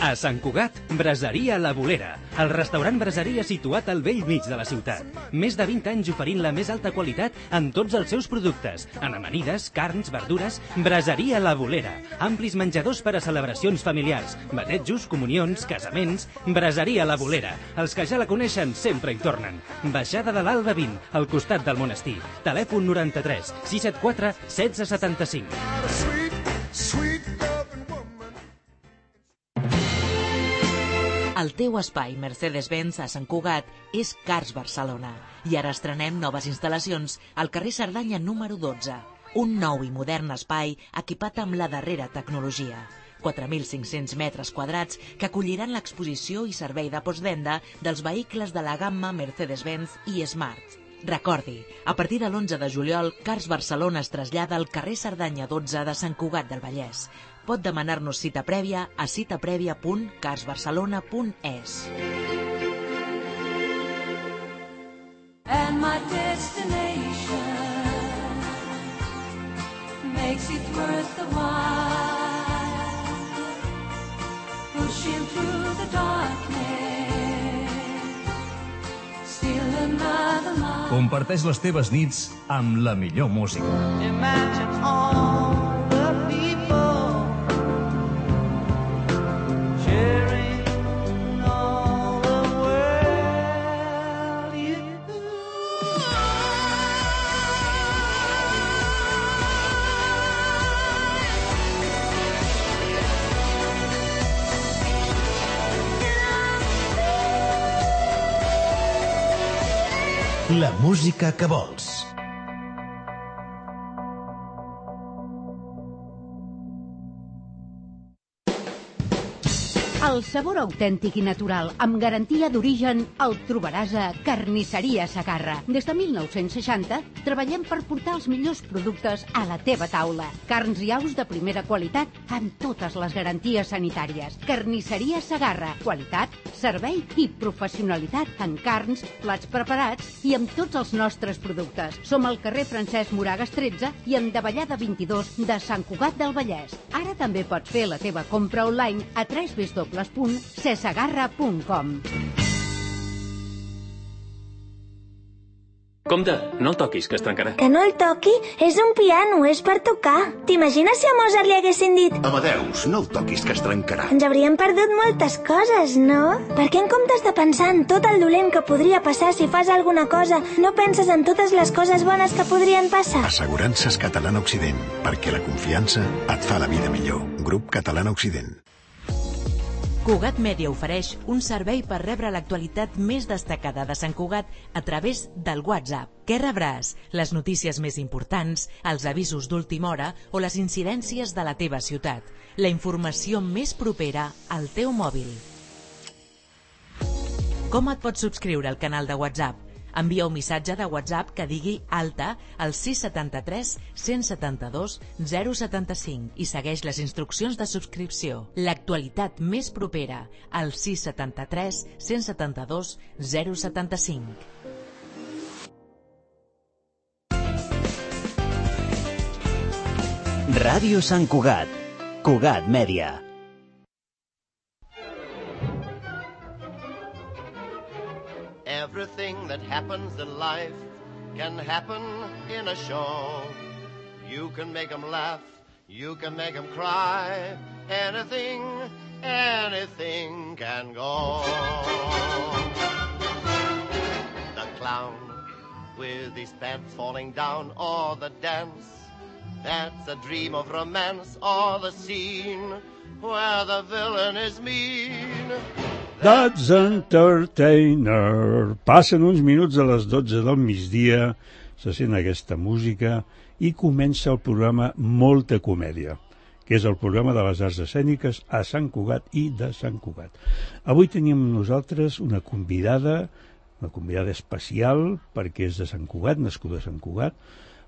A Sant Cugat, Braseria La Bolera, el restaurant braseria situat al vell mig de la ciutat. Més de 20 anys oferint la més alta qualitat en tots els seus productes, en amanides, carns, verdures. Braseria La Bolera, amplis menjadors per a celebracions familiars, batejos, comunions, casaments. Braseria La Bolera, els que ja la coneixen sempre hi tornen. Baixada de l'Alba 20, al costat del monestir. Telèfon 93 674 1675. El teu espai Mercedes-Benz a Sant Cugat és Cars Barcelona. I ara estrenem noves instal·lacions al carrer Cerdanya número 12. Un nou i modern espai equipat amb la darrera tecnologia. 4.500 metres quadrats que acolliran l'exposició i servei de postvenda dels vehicles de la gamma Mercedes-Benz i Smart. Recordi, a partir de l'11 de juliol, Cars Barcelona es trasllada al carrer Cerdanya 12 de Sant Cugat del Vallès. Pot demanar-nos cita prèvia a citaprèvia.carsbarcelona.es. And my destination makes it worth the while, pushing through the darkness, still another mile. Comparteix les teves nits amb la millor música. Imagine all the people sharing all the world you. La música que vols. El sabor autèntic i natural, amb garantia d'origen, el trobaràs a Carnisseria Segarra. Des de 1960 treballem per portar els millors productes a la teva taula. Carns i aus de primera qualitat amb totes les garanties sanitàries. Carnisseria Segarra. Qualitat, servei i professionalitat en carns, plats preparats i amb tots els nostres productes. Som al carrer Francesc Moragas 13 i en Davallada 22 de Sant Cugat del Vallès. Ara també pots fer la teva compra online a www.cesegarra.com. Compte, no el toquis, que es trencarà. Que no el toqui? És un piano, és per tocar. T'imagines si a Mozart li haguessin dit Amadeus, no el toquis, que es trencarà. ens hauríem perdut moltes coses, no? Per què en comptes de pensar en tot el dolent que podria passar si fas alguna cosa, no penses en totes les coses bones que podrien passar? Assegurances Catalana Occident, perquè la confiança et fa la vida millor. Grup Catalana Occident. Cugat Mèdia ofereix un servei per rebre l'actualitat més destacada de Sant Cugat a través del WhatsApp. Què rebràs? Les notícies més importants, els avisos d'última hora o les incidències de la teva ciutat. La informació més propera al teu mòbil. Com et pots subscriure al canal de WhatsApp? Envia un missatge de WhatsApp que digui alta al 673 172 075 i segueix les instruccions de subscripció. L'actualitat més propera al 673 172 075. Ràdio Sant Cugat. Cugat Mèdia. Everything that happens in life can happen in a show. You can make them laugh, you can make them cry. Anything, anything can go. The clown with his pants falling down, or the dance that's a dream of romance, or the scene where the villain is mean. That's Entertainer. Passen uns minuts a les 12 del migdia, se sent aquesta música i comença el programa Molta Comèdia, que és el programa de les arts escèniques a Sant Cugat i de Sant Cugat. Avui tenim amb nosaltres una convidada especial, perquè és de Sant Cugat, nascuda a Sant Cugat,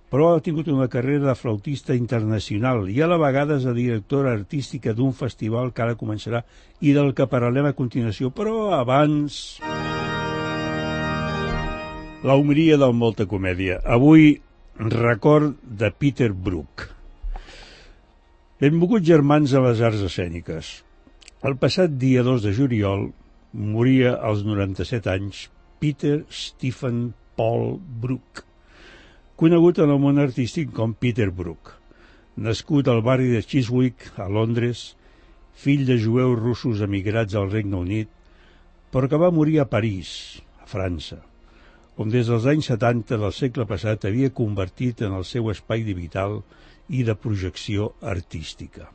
però ha tingut una carrera de flautista internacional i a la vegada és la directora artística d'un festival que ara començarà i del que parlarem a continuació. Però abans, la homeria del Molta Comèdia. Avui, record de Peter Brook. Benvolguts germans a les arts escèniques. El passat dia 2 de juliol moria als 97 anys Peter Stephen Paul Brook, conegut en el món artístic com Peter Brook, nascut al barri de Chiswick, a Londres, fill de jueus russos emigrats al Regne Unit, però que va morir a París, a França, on des dels anys 70 del segle passat havia convertit en el seu espai vital i de projecció artística.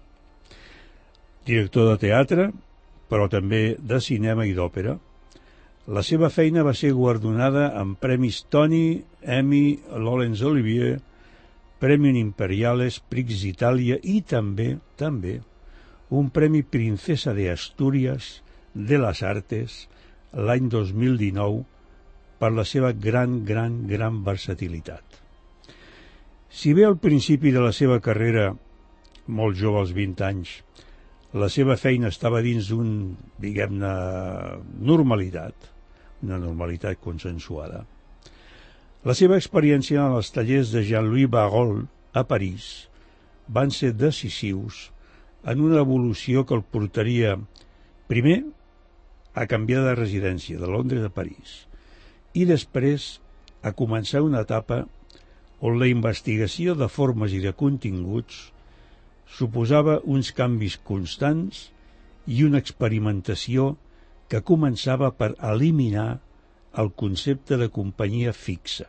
Director de teatre, però també de cinema i d'òpera, la seva feina va ser guardonada amb premis Tony, Emmy, Laurence Olivier, Premio Imperiales, Prix Italia i també un premi Princesa de Astúries de les Artes l'any 2019 per la seva gran versatilitat. Si bé al principi de la seva carrera, molt jove als 20 anys, la seva feina estava dins d'un, diguem-ne, normalitat, una normalitat consensuada, la seva experiència en els tallers de Jean-Louis Barrault a París van ser decisius en una evolució que el portaria, primer, a canviar de residència de Londres a París i després a començar una etapa on la investigació de formes i de continguts suposava uns canvis constants i una experimentació que començava per eliminar el concepte de companyia fixa,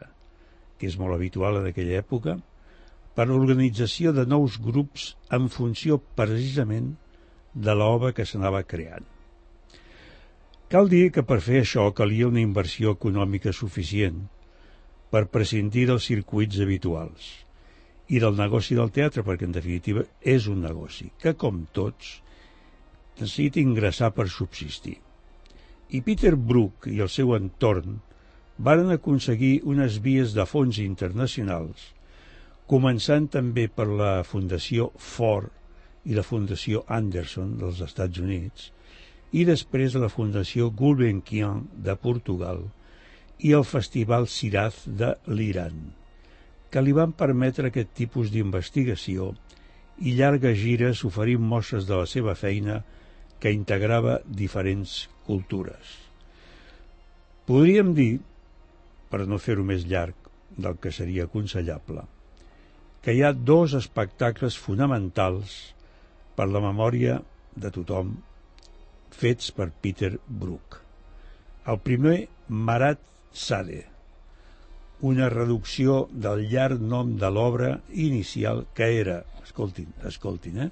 que és molt habitual en aquella època, per l'organització de nous grups en funció precisament de l'obra que s'anava creant. Cal dir que per fer això calia una inversió econòmica suficient per prescindir dels circuits habituals i del negoci del teatre, perquè en definitiva és un negoci que, com tots, necessita ingressar per subsistir. I Peter Brook i el seu entorn varen aconseguir unes vies de fons internacionals, començant també per la Fundació Ford i la Fundació Anderson dels Estats Units, i després la Fundació Gulbenkian de Portugal i el Festival Siraz de l'Iran, que li van permetre aquest tipus d'investigació i llargues gires oferint mostres de la seva feina que integrava diferents cultures. Podríem dir, per no fer-ho més llarg del que seria aconsellable, que hi ha dos espectacles fonamentals per la memòria de tothom fets per Peter Brook. El primer, Marat Sade, una reducció del llarg nom de l'obra inicial que era, escoltin,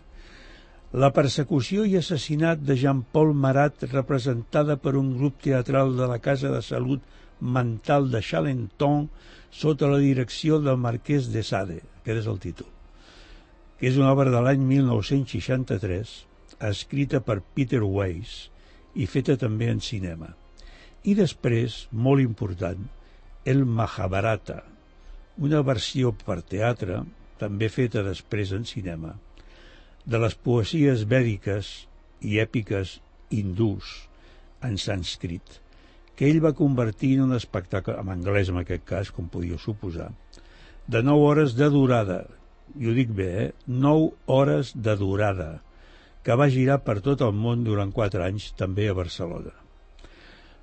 la persecució i assassinat de Jean-Paul Marat representada per un grup teatral de la Casa de Salut Mental de Charenton sota la direcció del marquès de Sade, aquest és el títol, que és una obra de l'any 1963, escrita per Peter Weiss i feta també en cinema. I després, molt important, el Mahabharata, una versió per teatre, també feta després en cinema, de les poesies vèdiques i èpiques hindús en sànscrit, que ell va convertir en un espectacle, en anglès en aquest cas, com podíeu suposar, de 9 hores de durada, i ho dic bé, 9 hores de durada, que va girar per tot el món durant 4 anys, també a Barcelona.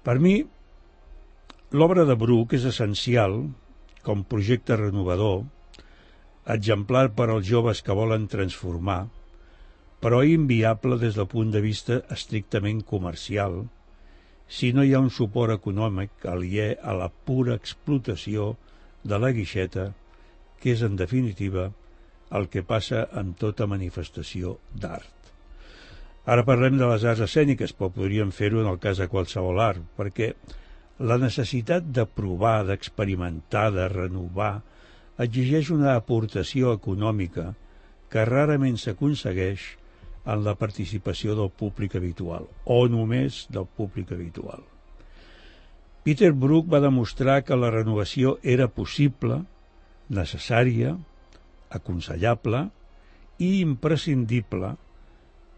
Per mi, l'obra de Brook és essencial, com projecte renovador, exemplar per als joves que volen transformar, però inviable des del punt de vista estrictament comercial, si no hi ha un suport econòmic aliè a la pura explotació de la guixeta, que és, en definitiva, el que passa amb tota manifestació d'art. Ara parlem de les arts escèniques, però podríem fer-ho en el cas de qualsevol art, perquè la necessitat de provar, d'experimentar, de renovar, exigeix una aportació econòmica que rarament s'aconsegueix en la participació del públic habitual, o només del públic habitual. Peter Brook va demostrar que la renovació era possible, necessària, aconsellable i imprescindible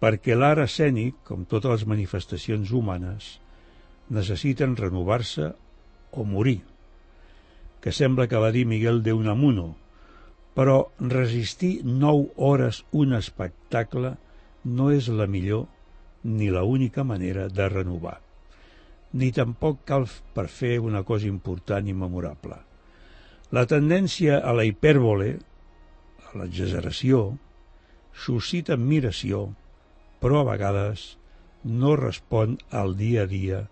perquè l'art escènic, com totes les manifestacions humanes, necessiten renovar-se o morir, que sembla que va dir Miguel de Unamuno, però resistir 9 hores un espectacle no és la millor ni l'única manera de renovar. Ni tampoc cal per fer una cosa important i memorable. La tendència a la hipèrbole, a l'exageració, suscita admiració, però a vegades no respon al dia a dia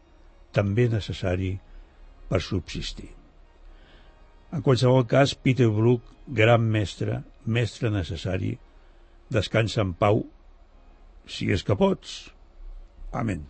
també necessari per subsistir. En qualsevol cas, Peter Brook, gran mestre, mestre necessari, descansa en pau, si és que pots. Amén.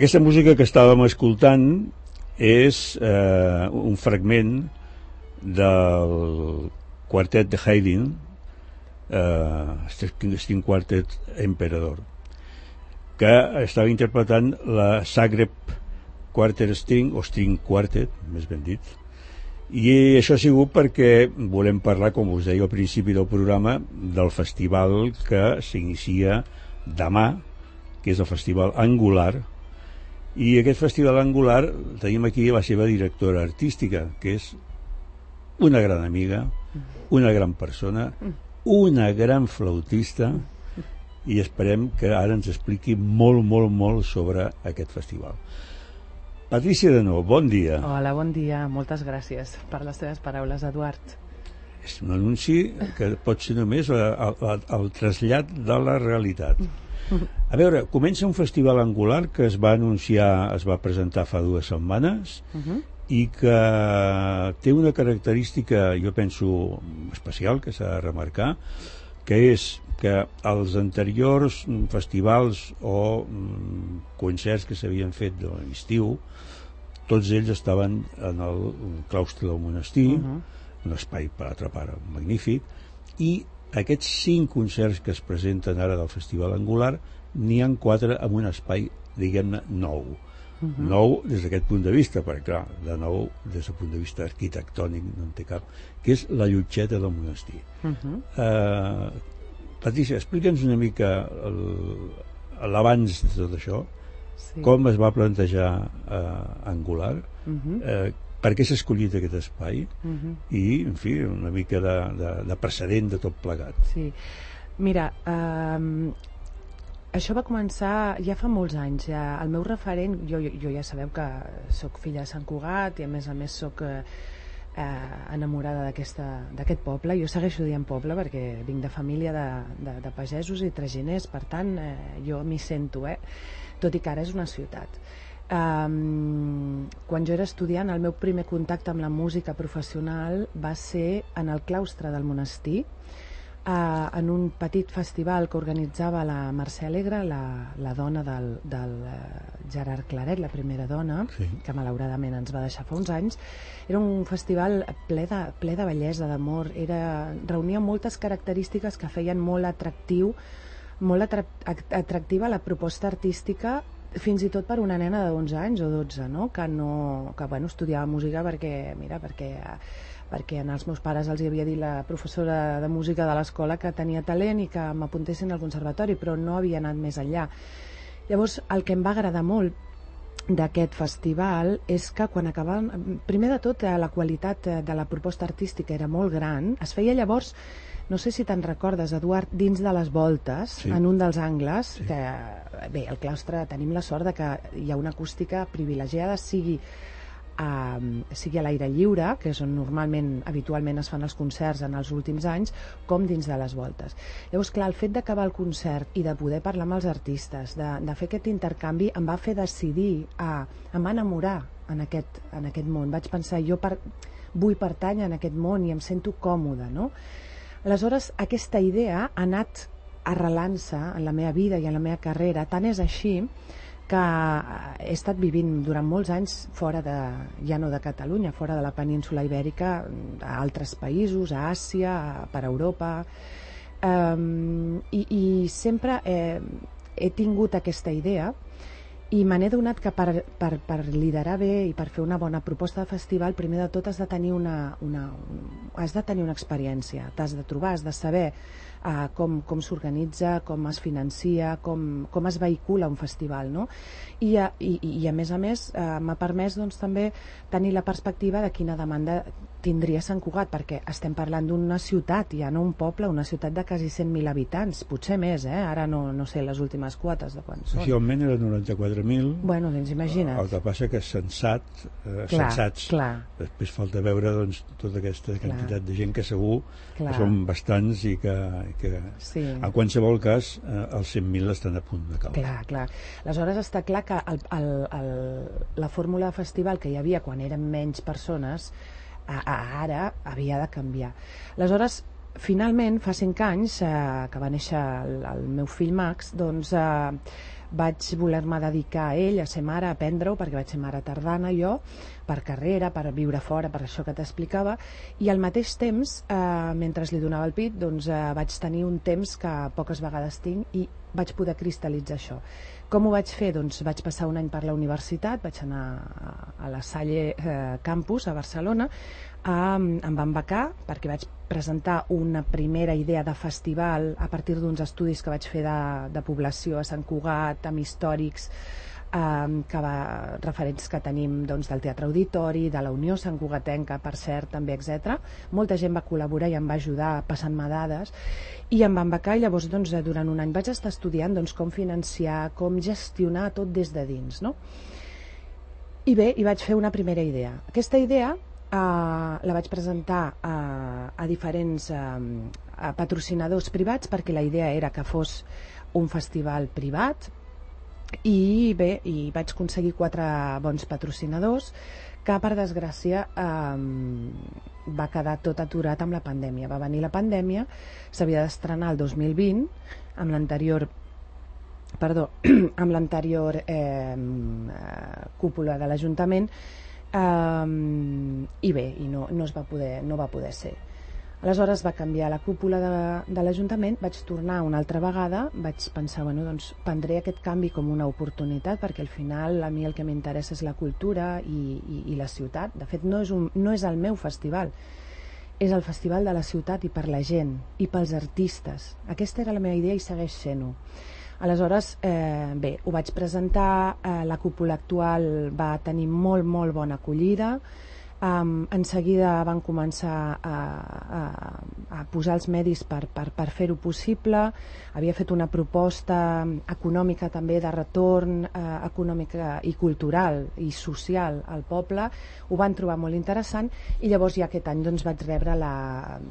Aquesta música que estàvem escoltant és un fragment del quartet de Haydn, String Quartet Emperador, que estava interpretant la Zagreb Quartet String, o String Quartet, més ben dit, i això ha sigut perquè volem parlar, com us deia al principi del programa, del festival que s'inicia demà, que és el Festival Angular. I aquest Festival Angular tenim aquí la seva directora artística, que és una gran amiga, una gran persona, una gran flautista, i esperem que ara ens expliqui molt sobre aquest festival. Patrícia de Nou, bon dia. Hola, bon dia. Moltes gràcies per les teves paraules, Eduard. És un anunci que pot ser només el trasllat de la realitat. A veure, comença un festival angular que es va anunciar, es va presentar fa 2 setmanes i que té una característica, jo penso, especial, que s'ha de remarcar, que és que els anteriors festivals o concerts que s'havien fet de l'estiu, tots ells estaven en el claustre del monestir, un espai, per altra part, magnífic, i aquests 5 concerts que es presenten ara del Festival Angular n'hi ha 4 en un espai, diguem-ne, nou. Nou des d'aquest punt de vista, perquè clar, de nou des del punt de vista arquitectònic no en té cap, que és la llotgeta del monestir. Patricia, explica'ns una mica l'abans de tot això, com es va plantejar Angular, per què s'ha escollit aquest espai i, en fi, una mica de precedent de tot plegat. Sí, mira, això va començar ja fa molts anys. El meu referent, jo ja sabeu que sóc filla de Sant Cugat i a més sóc enamorada d'aquest poble. Jo segueixo dient poble perquè vinc de família de pagesos i traginers, per tant jo m'hi sento, tot i que ara és una ciutat. Quan jo era estudiant, el meu primer contacte amb la música professional va ser en el claustre del monestir, en un petit festival que organitzava la Mercè Alegre, la dona del Gerard Claret, la primera dona, que malauradament ens va deixar fa uns anys. Era un festival ple de bellesa, d'amor, reunia moltes característiques que feien molt atractiva la proposta artística, fins i tot per una nena de 11 anys o 12, no? Que estudiava música perquè als meus pares els havia dit la professora de música de l'escola que tenia talent i que m'apuntessin al conservatori, però no havia anat més enllà. Llavors, el que em va agradar molt d'aquest festival és que quan acabaven, primer de tot la qualitat de la proposta artística era molt gran. Es feia llavors, no sé si te'n recordes, Eduard, dins de les voltes, en un dels angles, que bé, al claustre tenim la sort de que hi ha una acústica privilegiada, sigui a l'aire lliure, que és on habitualment es fan els concerts en els últims anys, com dins de les voltes. Llavors, clar, el fet d'acabar el concert i de poder parlar amb els artistes, de fer aquest intercanvi, em va fer decidir em va enamorar en aquest món. Vaig pensar, jo vull pertànyer en aquest món i em sento còmoda, no? Aleshores, aquesta idea ha anat arrelant-se en la meva vida i en la meva carrera. Tant és així que he estat vivint durant molts anys fora ja no de Catalunya, fora de la península Ibèrica, a altres països, a Àsia, per Europa. I sempre he tingut aquesta idea i me n'he donat que per liderar bé i per fer una bona proposta de festival, primer de tot has de tenir una experiència, t'has de trobar, has de saber com s'organitza, com es financia, com es vehicula un festival, no? I a més m'ha permès doncs, també tenir la perspectiva de quina demanda tindria Sant Cugat, perquè estem parlant d'una ciutat, ja no un poble, una ciutat de quasi 100.000 habitants, potser més, ara no sé les últimes quotes de quan són. Oficialment era 94.000. Bueno, doncs imagina't. El que passa que sensats, després falta veure doncs, tota aquesta quantitat de gent que segur que són bastants i que en qualsevol cas els 100.000 estan a punt de caure. Clar. Aleshores està clar que la fórmula de festival que hi havia quan eren menys persones ara havia de canviar. Aleshores, finalment, fa 5 anys que va néixer el meu fill Max, doncs vaig voler-me dedicar a ell, a ser mare, a aprendre-ho, perquè vaig ser mare tardana jo, per carrera, per viure fora, per això que t'explicava, i al mateix temps, mentre li donava el pit, doncs vaig tenir un temps que poques vegades tinc i vaig poder cristal·litzar això. Com ho vaig fer? Doncs vaig passar un any per la universitat, vaig anar a la Salle Campus a Barcelona, em van becar perquè vaig presentar una primera idea de festival a partir d'uns estudis que vaig fer de població a Sant Cugat, amb històrics, referents que tenim doncs, del Teatre Auditori, de la Unió Sant Cugatenca, per cert, també, etc. Molta gent va col·laborar i em va ajudar passant-me dades i em van becar i llavors doncs, durant un any vaig estar estudiant doncs, com financiar, com gestionar tot des de dins, no? I bé, hi vaig fer una primera idea. Aquesta idea la vaig presentar a diferents patrocinadors privats perquè la idea era que fos un festival privat i bé, vaig aconseguir 4 bons patrocinadors que per desgràcia va quedar tot aturat amb la pandèmia. Va venir la pandèmia, s'havia d'estrenar el 2020 amb l'anterior cúpula de l'Ajuntament i bé, no va poder ser. Aleshores va canviar la cúpula de l'Ajuntament, vaig tornar una altra vegada, vaig pensar, doncs prendré aquest canvi com una oportunitat perquè al final a mi el que m'interessa és la cultura i la ciutat. De fet, no és el meu festival, és el festival de la ciutat i per la gent i pels artistes. Aquesta era la meva idea i segueix sent-ho. Aleshores, bé, ho vaig presentar, la cúpula actual va tenir molt bona acollida. En seguida van començar a posar els medis per fer-ho possible. Havia fet una proposta econòmica també de retorn econòmica i cultural i social al poble. Ho van trobar molt interessant i llavors ja aquest any doncs, vaig rebre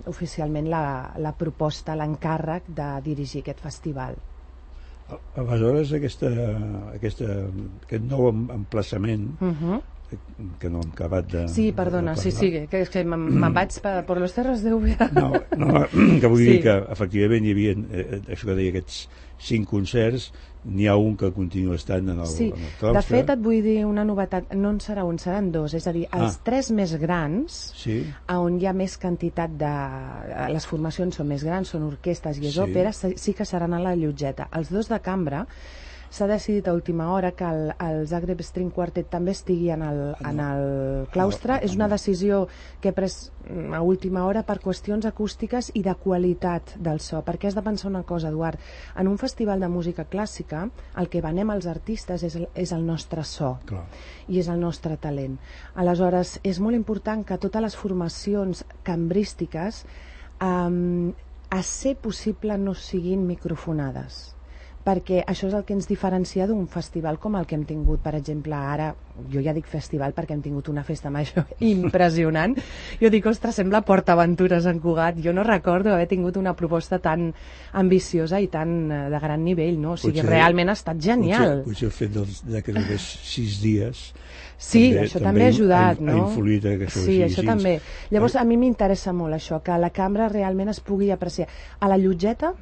oficialment la proposta, l'encàrrec de dirigir aquest festival. Aleshores aquest nou emplaçament que no hem acabat de... Sí, perdona, sí, que és que me'n vaig per les terres d'Úbeda. No, que vull dir que efectivament hi havia, això que deia, aquests 5 concerts, n'hi ha un que continua estant en el claustre. De fet, et vull dir una novetat, no en serà un, seran 2, és a dir, els 3 més grans, on hi ha més quantitat de... Les formacions són més grans, són orquestes i és òpera, sí que seran a la Llotgeta. Els 2 de cambra s'ha decidit a última hora que el Zagreb String Quartet també estigui en el claustre. És una decisió que he pres a última hora per qüestions acústiques i de qualitat del so, perquè has de pensar una cosa, Eduard, en un festival de música clàssica el que venem als artistes és el nostre so i és el nostre talent. Aleshores, és molt important que totes les formacions cambrístiques a ser possible no siguin microfonades, perquè això és el que ens diferencia d'un festival com el que hem tingut, per exemple, ara, jo ja dic festival perquè hem tingut una festa major impressionant, jo dic, ostres, sembla PortAventura a Sant Cugat, jo no recordo haver tingut una proposta tan ambiciosa i tan de gran nivell, no? O sigui, realment ha estat genial. Potser el fet de 6 dies... Sí, això també ha ajudat, no? Ha influït que això sí, això també. Llavors, a mi m'interessa molt això, que la cambra realment es pugui apreciar. A la Llotgeta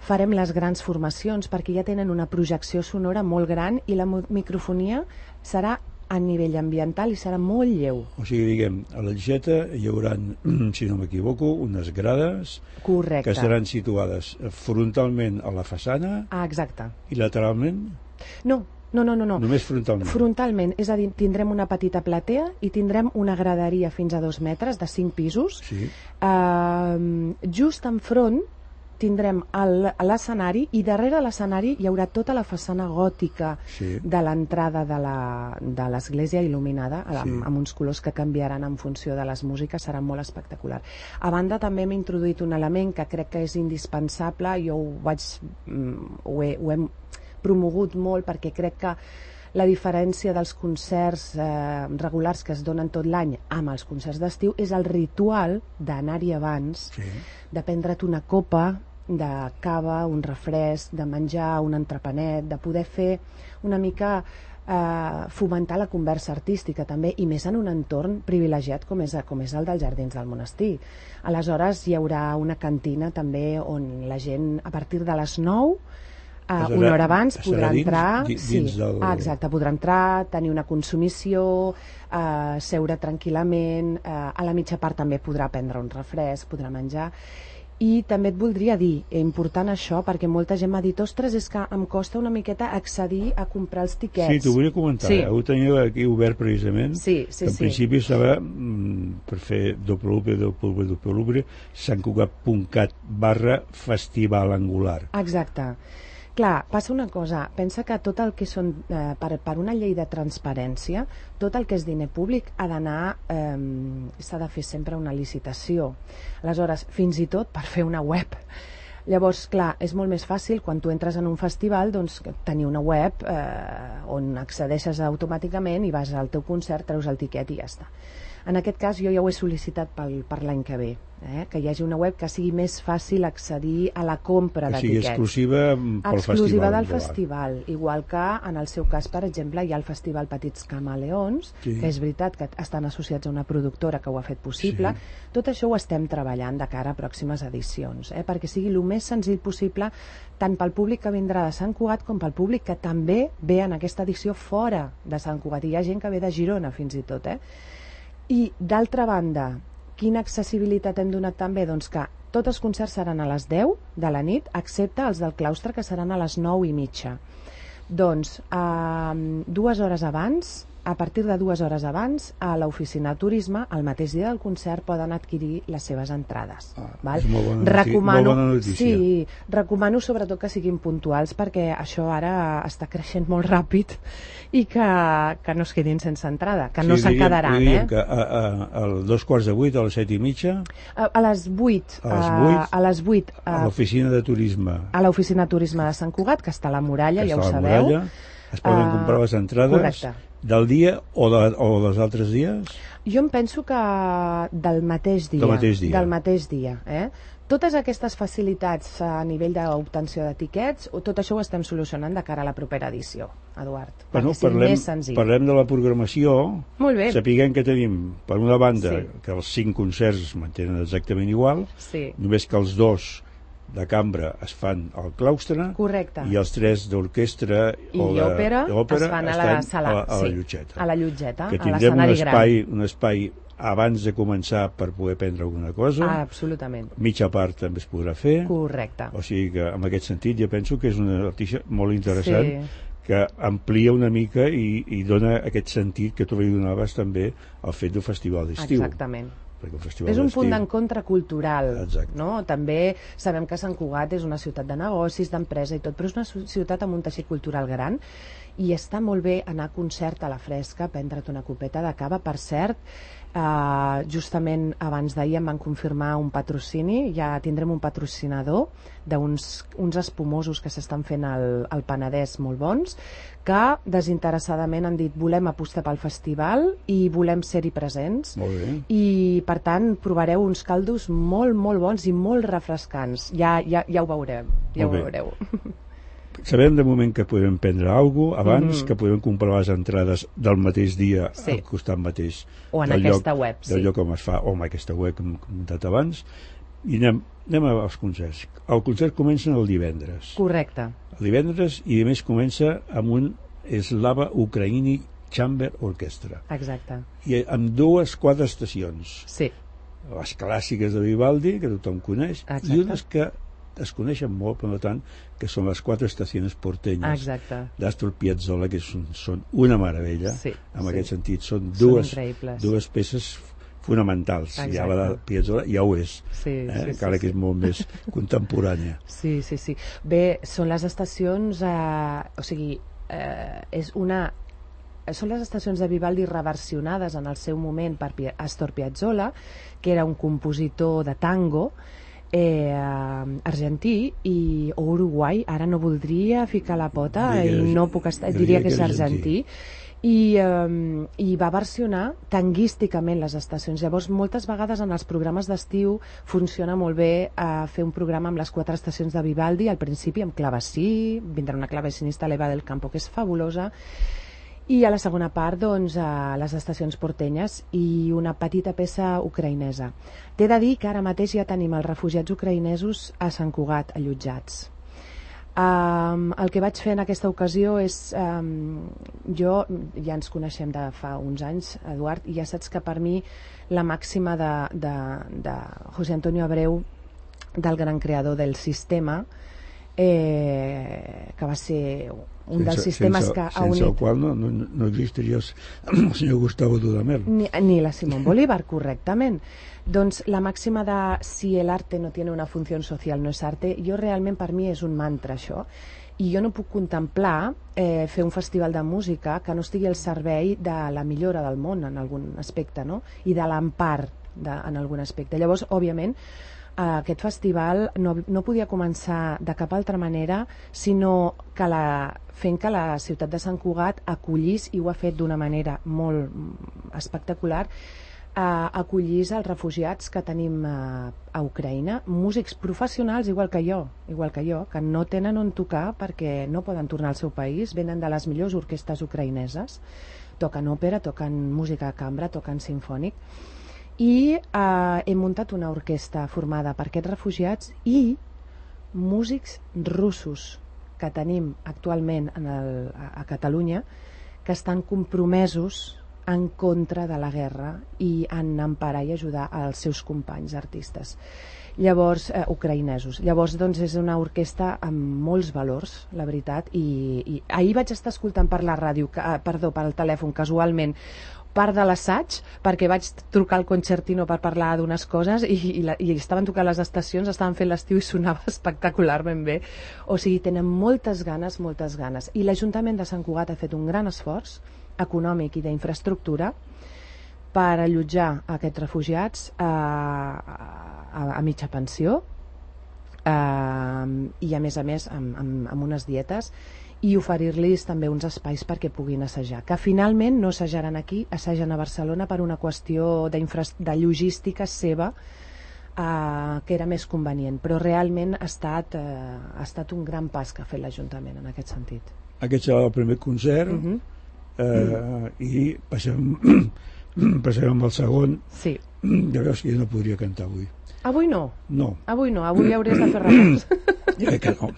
farem les grans formacions perquè ja tenen una projecció sonora molt gran i la microfonia serà a nivell ambiental i serà molt lleu. O sigui, diguem, a l'Aixeta hi haurà, si no m'equivoco, unes grades Correcte. que seran situades frontalment a la façana Exacte. i lateralment? No. Només frontalment? Frontalment, és a dir, tindrem una petita platea i tindrem una graderia fins a 2 metres de 5 pisos. Sí. Just enfront tindrem l'escenari i darrere l'escenari hi haurà tota la façana gòtica de l'entrada de l'església il·luminada amb uns colors que canviaran en funció de les músiques, serà molt espectacular. A banda també hem introduït un element que crec que és indispensable, jo ho hem promogut molt perquè crec que la diferència dels concerts regulars que es donen tot l'any amb els concerts d'estiu és el ritual d'anar-hi abans, de prendre't una copa de cava, un refresc, de menjar un entrepanet, de poder fer una mica fomentar la conversa artística també, i més en un entorn privilegiat com és el dels Jardins del Monestir. Aleshores hi haurà una cantina també on la gent a partir de les 9 una hora abans podrà entrar, exacte, podrà entrar, tenir una consumició, seure tranquil·lament, a la mitja part també podrà prendre un refresc, podrà menjar. I també et voldria dir, important això, perquè molta gent m'ha dit, ostres, és que em costa una miqueta accedir a comprar els tiquets. Sí, t'ho volia comentar, ho teniu aquí obert precisament, que en principi estava per fer www.santcugat.cat/festival angular. Exacte. Clar, passa una cosa, pensa que tot el que són, per una llei de transparència, tot el que és diner públic ha d'anar, s'ha de fer sempre una licitació. Aleshores, fins i tot per fer una web. Llavors, clar, és molt més fàcil quan tu entres en un festival doncs, tenir una web on accedeixes automàticament i vas al teu concert, treus el tiquet i ja està. En aquest cas jo ja ho he sol·licitat per l'any que ve, que hi hagi una web que sigui més fàcil accedir a la compra de tiquets. O sigui, exclusiva pel exclusiva del festival, igual que en el seu cas, per exemple, hi ha el festival Petits Camaleons, que és veritat que estan associats a una productora que ho ha fet possible. Tot això ho estem treballant de cara a pròximes edicions, perquè sigui el més senzill possible tant pel públic que vindrà de Sant Cugat com pel públic que també ve en aquesta edició fora de Sant Cugat. I hi ha gent que ve de Girona fins i tot, I, d'altra banda, quina accessibilitat hem donat també? Doncs que tots els concerts seran a les 10 de la nit, excepte els del claustre, que seran a les 9:30. Doncs, 2 hores abans, a partir de 2 hores abans, a l'oficina de turisme, el mateix dia del concert, poden adquirir les seves entrades. És molt bona notícia. Sí, recomano sobretot que siguin puntuals, perquè això ara està creixent molt ràpid i que no es quedin sense entrada, que no se'n quedaran. Diríem que a 2:45, a les 7:30? A les 8. A les 8. A l'oficina de turisme. A l'oficina de turisme de Sant Cugat, que està a la Muralla, ja ho sabeu. Es poden comprar les entrades del dia o dels altres dies? Jo em penso que del mateix dia. Del mateix dia. Totes aquestes facilitats a nivell d'obtenció de tiquets, tot això ho estem solucionant de cara a la propera edició, Eduard, perquè sigui més senzill. Parlem de la programació. Molt bé. Sapiguem que tenim, per una banda, que els 5 concerts es mantenen exactament igual, només que els 2 de cambra es fan al claustre. Correcte. I els 3 d'orquestra i òpera es fan a la sala, a la Llotgeta. A la Llotgeta, que tindrem un espai abans de començar per poder prendre alguna cosa. Absolutament. Mitja part també es podrà fer. Correcte. O sigui que en aquest sentit jo penso que és una notícia molt interessant que amplia una mica i dona aquest sentit que tu li donaves també al fet d'un festival d'estiu. Exactament. És un punt d'encontre cultural, no? També sabem que Sant Cugat és una ciutat de negocis, d'empresa i tot, però és una ciutat amb un teixit cultural gran i està molt bé anar a concert a la fresca, prendre't una copeta de cava. Per cert, justament abans d'ahir em van confirmar un patrocini, ja tindrem un patrocinador d'uns espumosos que s'estan fent al Penedès molt bons, que desinteressadament han dit volem apostar pel festival i volem ser-hi presents. Molt bé. I per tant provareu uns caldos molt, molt bons i molt refrescants. Ja ho veurem, ja ho veureu. Sabem de moment que podem prendre alguna cosa abans, que podem comprar les entrades del mateix dia al costat mateix o en aquesta web, del lloc on es fa, o en aquesta web que hem comentat abans. I anem als concerts. El concert comença el divendres. Correcte. El divendres, i a més comença amb un Slava Ukraini Chamber Orchestra. Exacte. I amb 4 estacions. Sí. Les clàssiques de Vivaldi, que tothom coneix, Exacte. i unes que es coneixen molt, per tant, que són les 4 estacions portenyes. Exacte. d'Astor Piazzolla, que són una meravella. Sí, en sí. aquest sentit, són increïbles. dues peces fonamentals. Exacte. Ja la de Piazzolla ja ho és, Sí, encara que és molt més contemporània. Sí. Bé, són les estacions, són les estacions de Vivaldi reversionades en el seu moment per Astor Piazzolla, que era un compositor de tango argentí o uruguai, ara no voldria ficar la pota diria que és argentí. I va versionar tanguísticament les estacions. Llavors, moltes vegades en els programes d'estiu funciona molt bé fer un programa amb les 4 estacions de Vivaldi, al principi amb clavecí, vindrà una clavecinista, l'Eva del Campo, que és fabulosa, i a la segona part, doncs, les estacions portenyes i una petita peça ucraïnesa. T'he de dir que ara mateix ja tenim els refugiats ucraïnesos a Sant Cugat, allotjats. El que vaig fer en aquesta ocasió és jo, ja ens coneixem de fa uns anys, Eduard, i ja saps que per mi la màxima de José Antonio Abreu, del gran creador del sistema, que va ser un dels sistemes que ha unit... Sense el qual no existiria el senyor Gustavo Dudamel. Ni la Simón Bolívar, correctament. Doncs la màxima de si el arte no tiene una función social no es arte, jo realment per mi és un mantra això, i jo no puc contemplar fer un festival de música que no estigui al servei de la millora del món en algun aspecte, no? I de l'empar en algun aspecte. Llavors, òbviament, aquest festival no podia començar de cap altra manera sinó que fent que la ciutat de Sant Cugat acollís, i ho ha fet d'una manera molt espectacular, acollís els refugiats que tenim a Ucraïna, músics professionals igual que jo, que no tenen on tocar perquè no poden tornar al seu país, venen de les millors orquestres ucraïneses, toquen òpera, toquen música de cambra, toquen sinfònic, i hem muntat una orquestra formada per aquests refugiats i músics russos que tenim actualment a Catalunya, que estan compromesos en contra de la guerra i en emparar i ajudar els seus companys artistes, llavors ucraïnesos. Llavors, doncs, és una orquestra amb molts valors, la veritat, i ahir vaig estar escoltant per la ràdio, pel telèfon, casualment, part de l'assaig, perquè vaig trucar al concertino per parlar d'unes coses i estaven tocant les estacions, estaven fent l'estiu i sonava espectacularment bé. O sigui, tenen moltes ganes, i l'Ajuntament de Sant Cugat ha fet un gran esforç econòmic i d'infraestructura per allotjar aquests refugiats a mitja pensió i a més amb unes dietes, i oferir-los també uns espais perquè puguin assajar, que finalment no assajaran aquí, assagen a Barcelona per una qüestió de logística seva, que era més convenient, però realment ha estat un gran pas que ha fet l'Ajuntament en aquest sentit. Aquest serà el primer concert, i passem amb el segon. Sí. Ja veus que jo no podria cantar avui. Avui no? No. Avui hauries de fer repòs. Jo crec que no.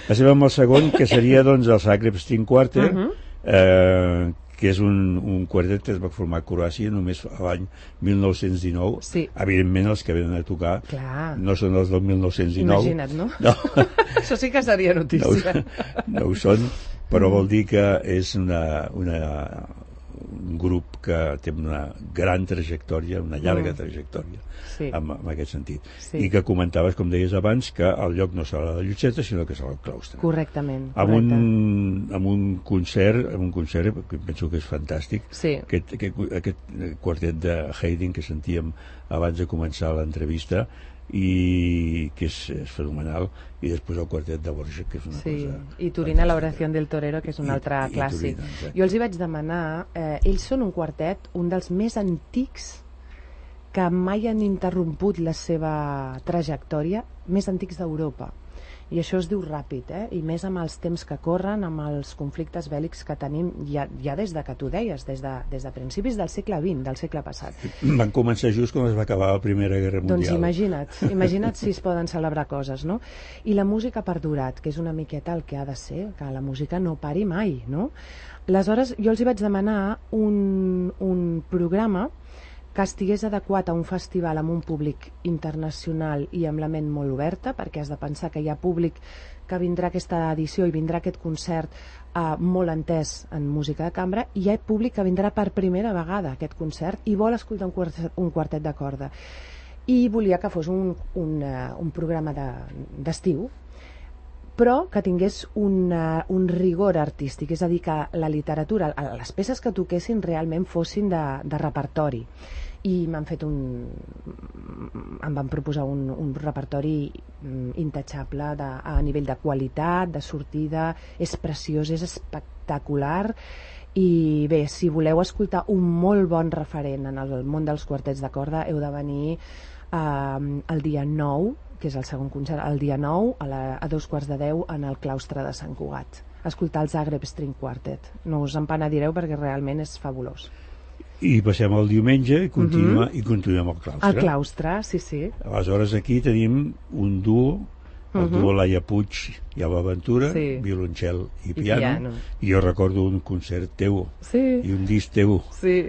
Passem amb el segon, que seria doncs el Zagreb String Quartet, que és un quartet que es va formar a Croàcia només l'any 1919. Sí. Evidentment els que venen a tocar no són els del 1919. Imagina't, no? Això sí que seria notícia. No ho són, però vol dir que és un grup que té una gran trajectòria, una llarga trajectòria, en aquest sentit. I que comentaves, com deies abans, que el lloc no serà la Llotxeta, sinó que serà el claustre. Correctament. Amb un concert que penso que és fantàstic, aquest quartet de Haydn que sentíem abans de començar l'entrevista, i que és fenomenal, i després el quartet de Borges, que és una cosa... I Turina, la oración del torero, que és un altre clàssic. Jo els hi vaig demanar, ells són un quartet, un dels més antics que mai han interromput la seva trajectòria, més antics d'Europa. I això es diu ràpid, i més amb els temps que corren, amb els conflictes bèl·lics que tenim ja des de que tu deies, des de principis del segle XX, del segle passat. Van començar just quan es va acabar la Primera Guerra Mundial. Doncs imagina't si es poden celebrar coses, no? I la música ha perdurat, que és una miqueta el que ha de ser, que la música no pari mai, no? Aleshores, jo els hi vaig demanar un programa que estigués adequat a un festival amb un públic internacional i amb la ment molt oberta, perquè has de pensar que hi ha públic que vindrà a aquesta edició i vindrà a aquest concert molt entès en música de cambra, i hi ha públic que vindrà per primera vegada a aquest concert i vol escoltar un quartet de corda. I volia que fos un programa d'estiu, però que tingués un rigor artístic, és a dir, que la literatura, les peces que toquessin realment fossin de repertori. I em van proposar un repertori intachable a nivell de qualitat, de sortida, és preciós, és espectacular. I bé, si voleu escoltar un molt bon referent en el món dels quartets de corda, heu de venir el dia 9, que és el segon concert, el dia 9 a 2:15 en el claustre de Sant Cugat, escoltar el Zagreb String Quartet. No us en penedireu perquè realment és fabulós. I passem el diumenge i continuem al claustre. Al claustre, sí. Aleshores aquí tenim un duo, el duo Laia Puig i Alba Ventura, violoncel i piano. I jo recordo un concert teu i un disc teu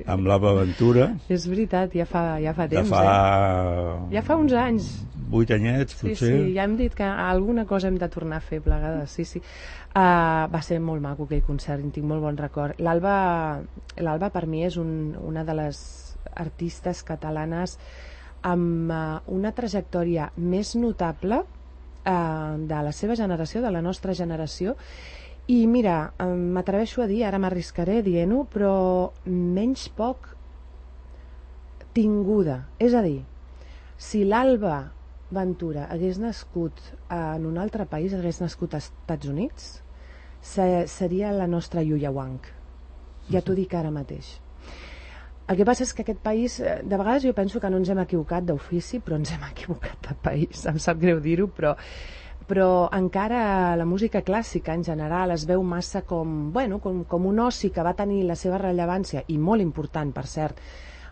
amb l'Alba Ventura. És veritat, ja fa temps. Ja fa uns anys. 8 anyets, potser. Sí, ja hem dit que alguna cosa hem de tornar a fer plegades, sí. Va ser molt maco aquell concert, en tinc molt bon record. L'Alba per mi és una de les artistes catalanes amb una trajectòria més notable de la seva generació, de la nostra generació, i mira, m'atreveixo a dir, ara m'arriscaré dient-ho, però menys poc tinguda. És a dir, si l'Alba Ventura hagués nascut en un altre país, hagués nascut als Estats Units, seria la nostra Yuya Wang. Ja t'ho dic ara mateix. El que passa és que aquest país, de vegades jo penso que no ens hem equivocat d'ofici, però ens hem equivocat de país, em sap greu dir-ho, però encara la música clàssica en general es veu massa com un oci que va tenir la seva rellevància, i molt important, per cert,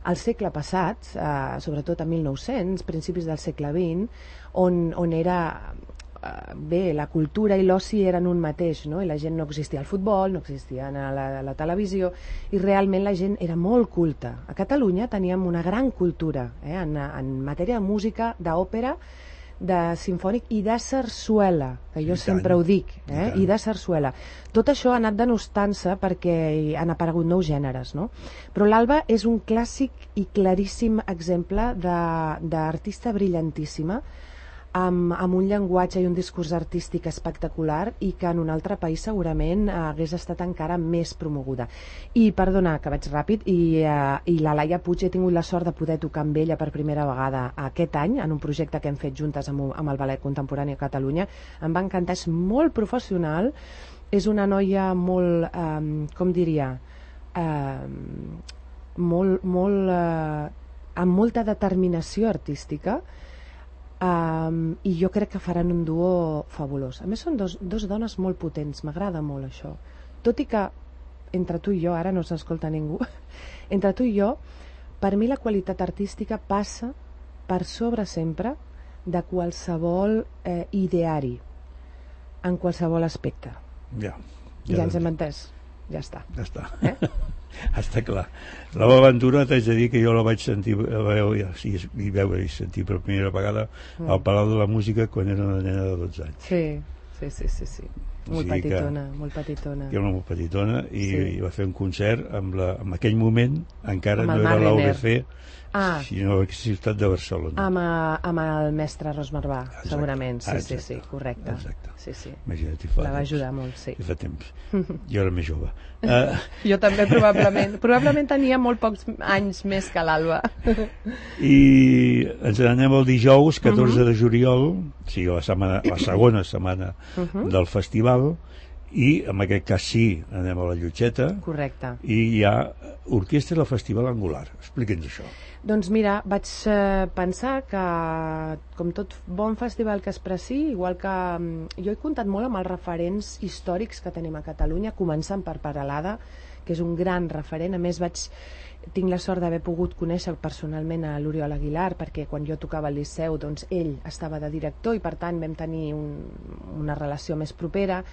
al segle passat, sobretot a 1900, principis del segle XX, on era... Bé, la cultura i l'oci eren un mateix, no? I la gent no existia al futbol, no existia a la televisió, i realment la gent era molt culta. A Catalunya teníem una gran cultura en matèria de música, d'òpera, de simfònic i de sarsuela, que jo sempre ho dic, i de sarsuela. Tot això ha anat denostant-se perquè han aparegut nous gèneres, no? Però l'Alba és un clàssic i claríssim exemple d'artista brillantíssima, amb un llenguatge i un discurs artístic espectacular, i que en un altre país segurament hagués estat encara més promoguda. I perdona, que vaig ràpid, i la Laia Puig, he tingut la sort de poder tocar amb ella per primera vegada aquest any en un projecte que hem fet juntes amb el Ballet Contemporani a Catalunya. Em va encantar, és molt professional, és una noia molt, com diria, amb molta determinació artística, i jo crec que faran un duo fabulós. A més són dos dones molt potents, m'agrada molt això, tot i que entre tu i jo, ara no s'escolta ningú, entre tu i jo, per mi la qualitat artística passa per sobre sempre de qualsevol ideari en qualsevol aspecte. Ja ens hem entès, ja està. Està clar. L'Alba Ventura, t'haig de dir que jo la vaig sentir veure i sentir per primera vegada al Palau de la Música quan era una nena de 12 anys. Sí. Molt petitona. Era molt petitona i va fer un concert en aquell moment encara no era l'UBC, sinó a la ciutat de Barcelona. Amb el mestre Ros Marbà, segurament. Sí, correcte. La va ajudar molt, sí. Fa temps. Jo era més jove. Jo també, probablement tenia molt pocs anys més que l'Alba. I ens n'anem el dijous 14 de juliol, o sigui la segona setmana del festival, I en aquest cas sí, anem a la Llotxeta. Correcte. I hi ha Orquestra del Festival Angular. Explica'ns això. Doncs mira, vaig pensar que, com tot bon festival que es preci, igual que jo he comptat molt amb els referents històrics que tenim a Catalunya, començant per Peralada, que és un gran referent. A més, tinc la sort d'haver pogut conèixer personalment a l'Oriol Aguilar, perquè quan jo tocava al Liceu, doncs ell estava de director i per tant vam tenir una relació més propera.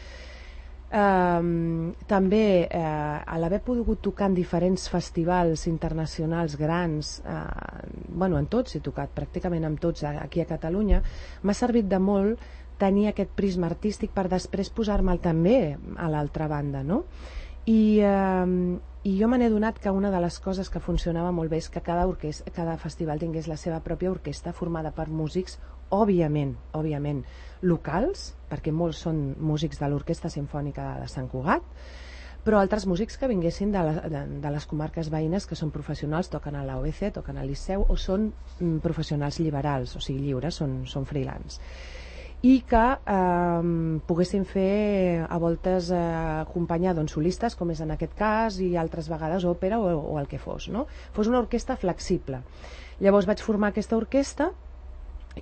També a l'haver pogut tocar en diferents festivals internacionals grans, en tots he tocat, pràcticament amb tots aquí a Catalunya, m'ha servit de molt tenir aquest prisma artístic per després posar-me'l també a l'altra banda, no? I jo me n'he donat que una de les coses que funcionava molt bé és que cada festival tingués la seva pròpia orquestra formada per músics, òbviament locals, perquè molts són músics de l'Orquestra Simfònica de Sant Cugat, però altres músics que vinguessin de les comarques veïnes, que són professionals, toquen a l'OBC, toquen al Liceu, o són professionals liberals, o sigui lliures, són freelance. I que poguessin fer a voltes acompanyar solistes, com és en aquest cas, i altres vegades òpera o el que fos, no? Fos una orquestra flexible. Llavors vaig formar aquesta orquestra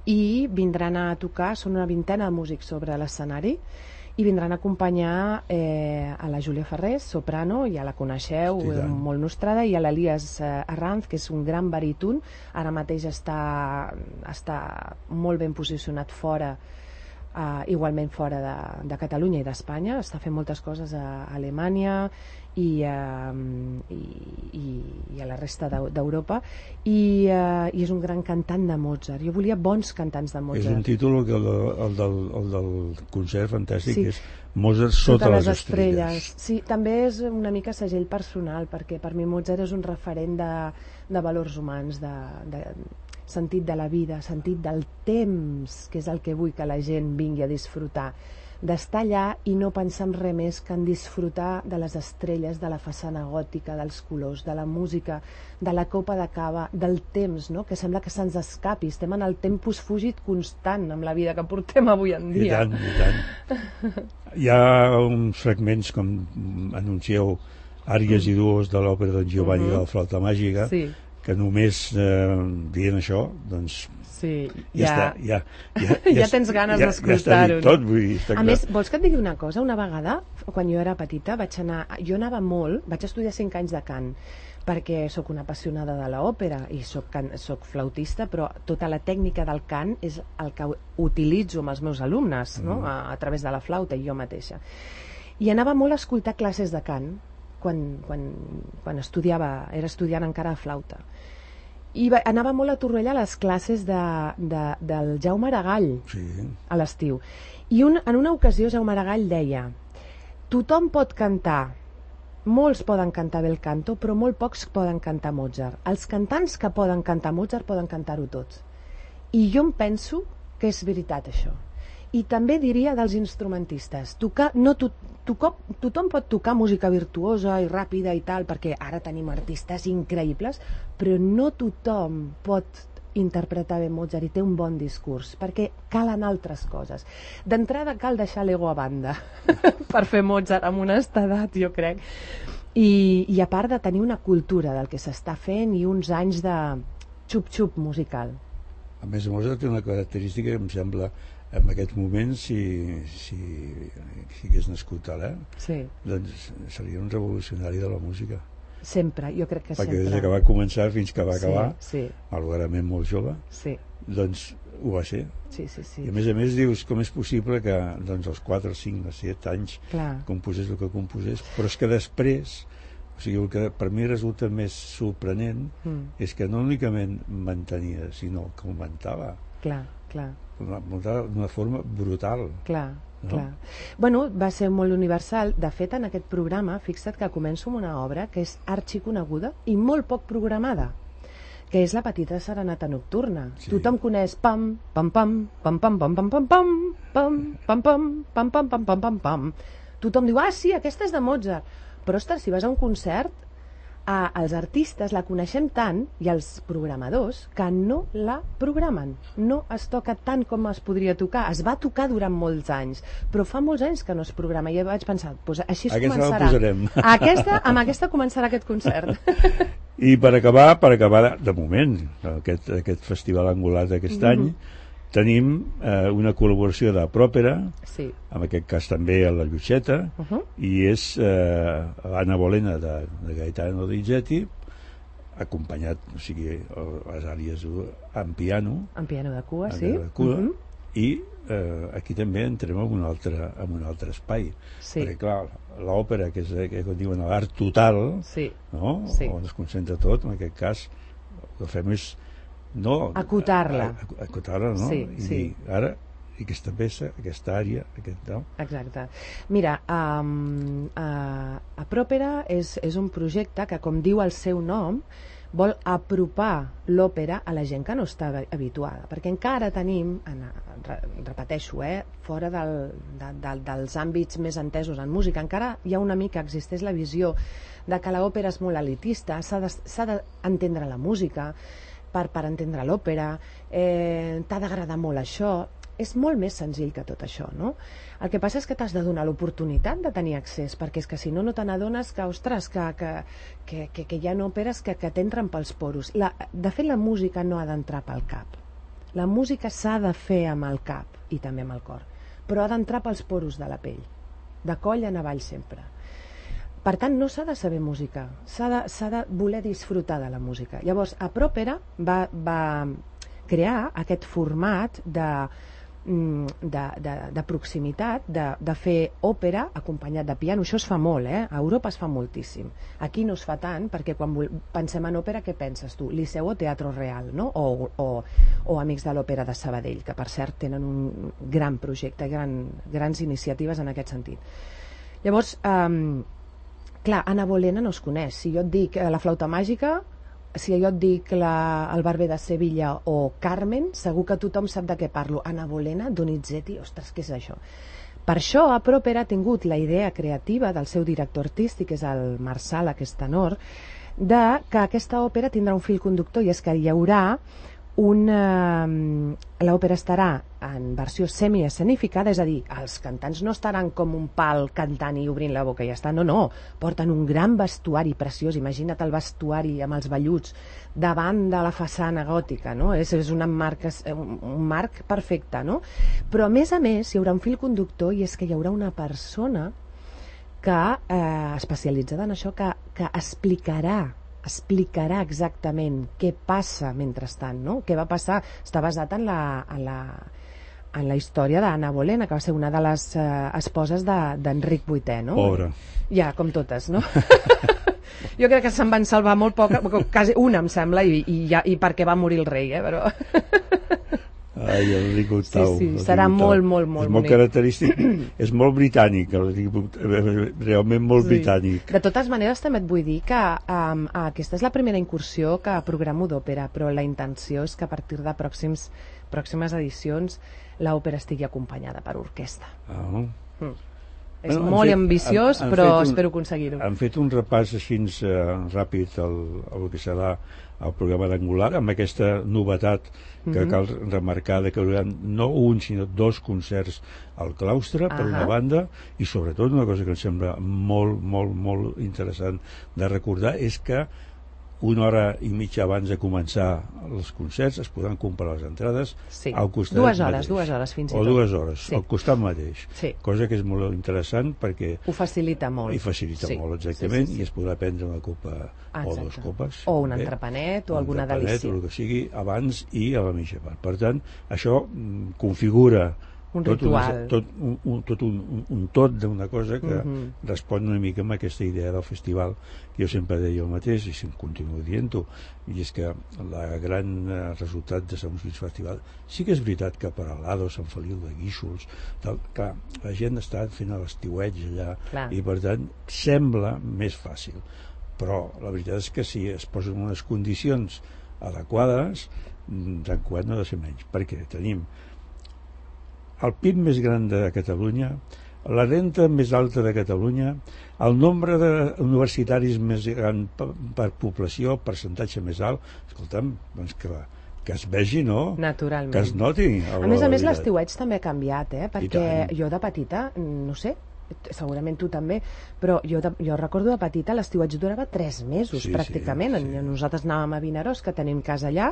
i vindran a tocar, són una vintena de músics sobre l'escenari, i vindran a acompanyar a la Júlia Ferrés, soprano, ja la coneixeu, molt nostrada, i a l'Elias Arranz, que és un gran baríton, ara mateix està molt ben posicionat fora, igualment fora de Catalunya i d'Espanya, està fent moltes coses a Alemanya i a la resta d'Europa, i és un gran cantant de Mozart. Jo volia bons cantants de Mozart. És un títol, el del concert fantàstic, que és Mozart sota les estrelles. Sí, també és una mica segell personal, perquè per mi Mozart és un referent de valors humans, de sentit de la vida, sentit del temps, que és el que vull que la gent vingui a disfrutar, d'estar allà i no pensar en res més que en disfrutar de les estrelles, de la façana gòtica, dels colors, de la música, de la copa de cava, del temps, no? Que sembla que se'ns escapi, estem en el tempus fugit constant amb la vida que portem avui en dia. I tant. Hi ha uns fragments, com anuncieu, àries i duos de l'òpera d'en Giovanni de la Flauta Màgica, que només dient això, doncs ja tens ganes d'escoltar-ho. A més, vols que et digui una cosa? Una vegada, quan jo era petita, jo anava molt, vaig estudiar 5 anys de cant, perquè sóc una apassionada de l'òpera i sóc flautista, però tota la tècnica del cant és el que utilitzo amb els meus alumnes, no? A través de la flauta i jo mateixa. I anava molt a escoltar classes de cant quan estudiava, era estudiant encara de flauta. I anava molt a Torroella a les classes del Jaume Aragall a l'estiu. I en una ocasió Jaume Aragall deia: tothom pot cantar, molts poden cantar bé el canto, però molt pocs poden cantar Mozart. Els cantants que poden cantar Mozart poden cantar-ho tots. I jo em penso que és veritat això. I també diria dels instrumentistes, tothom pot tocar música virtuosa i ràpida i tal, perquè ara tenim artistes increïbles, però no tothom pot interpretar bé Mozart i té un bon discurs, perquè calen altres coses. D'entrada cal deixar l'ego a banda per fer Mozart amb una estedat, jo crec, i a part de tenir una cultura del que s'està fent i uns anys de xup-xup musical. A més, Mozart té una característica que em sembla, en aquests moments, si hagués nascut ara, doncs seria un revolucionari de la música. Sempre, jo crec que sempre. Perquè des que va començar fins que va acabar, malauradament molt jove, doncs ho va ser. I a més dius, com és possible que als 4, 5, 7 anys composés el que composés, però és que després, o sigui, el que per mi resulta més sorprenent és que no únicament mantenia, sinó que augmentava. Clar. D'una forma brutal. Clar. Bueno, va ser molt universal. De fet, en aquest programa, fixa't que començo amb una obra que és arxiconeguda i molt poc programada, que és la Petita Serenata Nocturna. Tothom coneix pam, pam, pam, pam, pam, pam, pam, pam, pam, pam, pam, pam, pam, pam, pam, pam, pam. Tothom diu, sí, aquesta és de Mozart. Però, ostres, si vas a un concert, Els artistes la coneixem tant, i els programadors, que no la programen. No es toca tant com es podria tocar. Es va tocar durant molts anys, però fa molts anys que no es programa. I vaig pensar, doncs així es aquesta començarà. La posarem. Amb aquesta començarà aquest concert. I per acabar de moment, aquest festival angular d'aquest any, tenim una col·laboració de Pròpera, sí. En aquest cas també a la Lluixeta, i és l'Anna Bolena de Gaetano Donizetti, acompanyat, o sigui, les àrees en piano. En piano de cua, sí. De cua, i aquí també entrem en un altre espai. Sí. Perquè, clar, l'òpera, que és que diuen l'art total, sí. No? Sí. On es concentra tot, en aquest cas, el que fem és acotar-la, no? Sí, I sí. ara aquesta peça, aquesta àrea, no? Exacte. Mira, a Pròpera és un projecte que, com diu el seu nom, vol apropar l'òpera a la gent que no està habituada, perquè encara tenim, repeteixo, fora dels àmbits més entesos en música, encara hi ha una mica, existeix la visió de que l'òpera és molt elitista, s'ha d'entendre la música per entendre l'òpera, t'ha d'agradar molt això. És molt més senzill que tot això, no? El que passa és que t'has de donar l'oportunitat de tenir accés, perquè és que si no t'adones que, ostres, que hi ha òperes que t'entren pels poros. De fet, la música no ha d'entrar pel cap. La música s'ha de fer amb el cap i també amb el cor, però ha d'entrar pels poros de la pell, de coll en avall sempre. Per tant, no s'ha de saber música, s'ha de voler disfrutar de la música. Llavors, a Pròpera va crear aquest format de proximitat, de fer òpera acompanyat de piano. Això es fa molt, a Europa es fa moltíssim. Aquí no es fa tant, perquè quan pensem en òpera, què penses tu? Liceu o Teatro Real, no? O Amics de l'Òpera de Sabadell, que per cert tenen un gran projecte, grans iniciatives en aquest sentit. Llavors, clar, Anna Bolena no es coneix. Si jo et dic la flauta màgica, si jo et dic el Barber de Sevilla o Carmen, segur que tothom sap de què parlo. Anna Bolena, Donizetti, ostres, què és això? Per això, a Pròpera ha tingut la idea creativa del seu director artístic, que és el Marsala, que és tenor, de que aquesta òpera tindrà un fil conductor, i és que hi haurà l'òpera estarà en versió semi-escenificada, és a dir, els cantants no estaran com un pal cantant i obrint la boca i ja està, no, porten un gran vestuari preciós, imagina't el vestuari amb els velluts davant de la façana gòtica, no? És un marc perfecte, no? Però a més hi haurà un fil conductor, i és que hi haurà una persona que especialitzada en això, que explicarà exactament què passa mentrestant, no? Què va passar. Està basat en la història d'Anna Bolena, que va ser una de les esposes d'Enric VIII, no? Pobra. Ja, com totes, no? Jo crec que se'n van salvar molt poca, quasi una, em sembla, i perquè va morir el rei, però... Ai, el Enric VIII. Sí, serà molt és molt característic, és molt britànic, realment molt britànic. De totes maneres, també et vull dir que aquesta és la primera incursió que programo d'òpera, però la intenció és que a partir de pròximes edicions l'òpera estigui acompanyada per orquestra. És molt ambiciós, però espero aconseguir-ho. Han fet un repàs així ràpid al que serà el programa d'Angular, amb aquesta novetat que cal remarcar, que hi haurà no un, sinó 2 concerts al claustre, per una banda, i sobretot una cosa que em sembla molt, molt, molt interessant de recordar és que una hora i mitja abans de començar els concerts es podran comprar les entrades al costat mateix. 2 hores fins i tot. O 2 hores, al costat mateix. Cosa que és molt interessant perquè... Ho facilita molt. I facilita molt, exactament, i es podrà prendre una copa o 2 copes. O un entrepanet o alguna delícia. O el que sigui, abans i a la mitja part. Per tant, això configura un ritual. Un tot d'una cosa que respon una mica amb aquesta idea del festival, que jo sempre deia el mateix i continuo dient-ho, i és que el gran resultat de Sant Músics Festival sí que és veritat que per Alado, Sant Feliu de Guíxols, clar, la gent està fent l'estiueig allà i per tant sembla més fàcil, però la veritat és que si es posen unes condicions adequades, Sant Cugat no ha de ser menys, perquè tenim el PIB més gran de Catalunya, la renta més alta de Catalunya, el nombre d'universitaris més gran per població, el percentatge més alt, escolta'm, doncs que es vegi, no? Naturalment. Que es noti. A més, l'estiueig també ha canviat, perquè jo de petita, no sé, segurament tu també, però jo recordo de petita l'estiuatge durava 3 mesos pràcticament. Nosaltres anàvem a Vinaròs, que tenim casa allà,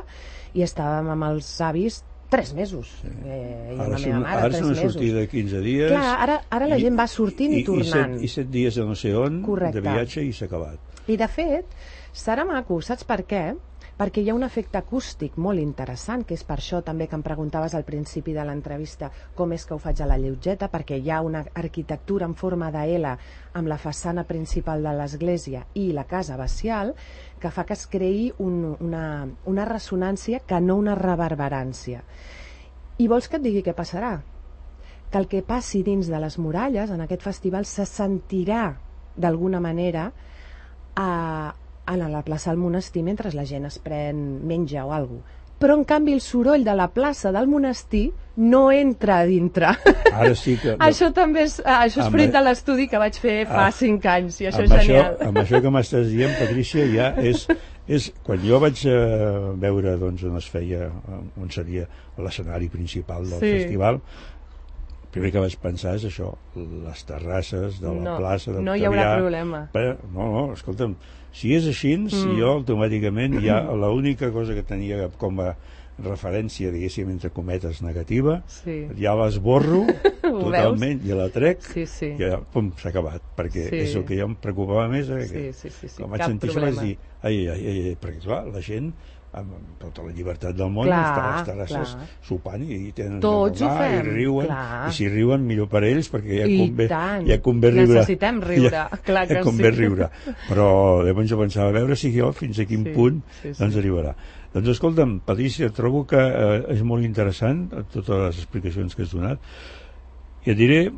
i estàvem amb els avis 3 mesos. I Ara la meva mare, és una sortida de 15 dies. Clar, ara la gent va sortint i tornant. I 7 dies a no sé on, correcte, de viatge, i s'ha acabat. I de fet, serà maco, saps per què? Perquè hi ha un efecte acústic molt interessant, que és per això també que em preguntaves al principi de l'entrevista com és que ho faig a la Lleugeta, perquè hi ha una arquitectura en forma de L amb la façana principal de l'església i la casa abacial, que fa que es creï una ressonància que no una reverberància. I vols que et digui què passarà? Que el que passi dins de les muralles en aquest festival se sentirà d'alguna manera a la plaça del monestir mentre la gent es pren menja o alguna cosa. Però en canvi el soroll de la plaça del monestir no entra a dintre. Ara sí que... Això també és fruit de l'estudi que vaig fer fa 5 anys, i això és genial. Amb això que m'estàs dient, Patrícia, ja és quan jo vaig veure doncs, on es feia, on seria l'escenari principal del festival, el primer que vaig pensar és això, les terrasses de la plaça del no hi haurà problema. No, escolta'm, si és així, jo automàticament ja l'única cosa que tenia com a referència, diguéssim, entre cometes, negativa, ja l'esborro totalment i la trec, i ja, pum, s'ha acabat, perquè és el que jo em preocupava més, quan vaig sentir això vaig dir, ai, perquè clar, la gent amb tota la llibertat del món està a les terrasses sopant i tenen tots ho fem, i riuen, i si riuen millor per ells, perquè ja convé riure, necessitem riure, clar que convé riure, però llavors jo pensava a veure si jo fins a quin punt ens arribarà. Doncs escolta'm, Patrícia, trobo que és molt interessant totes les explicacions que has donat, i et diré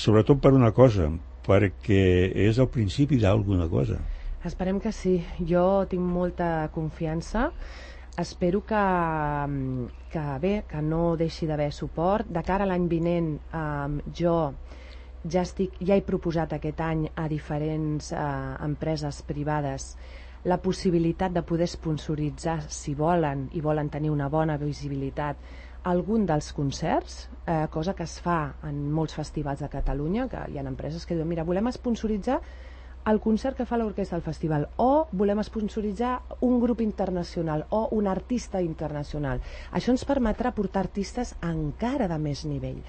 sobretot per una cosa, perquè és el principi d'alguna cosa. Esperem que sí. Jo tinc molta confiança. Espero que no deixi d'haver suport. De cara a l'any vinent, jo ja he proposat aquest any a diferents empreses privades la possibilitat de poder sponsoritzar, si volen, i volen tenir una bona visibilitat, algun dels concerts, cosa que es fa en molts festivals de Catalunya, que hi ha empreses que diuen, mira, volem sponsoritzar el concert que fa l'orquestra del festival, o volem sponsoritzar un grup internacional o un artista internacional. Això ens permetrà portar artistes encara de més nivell.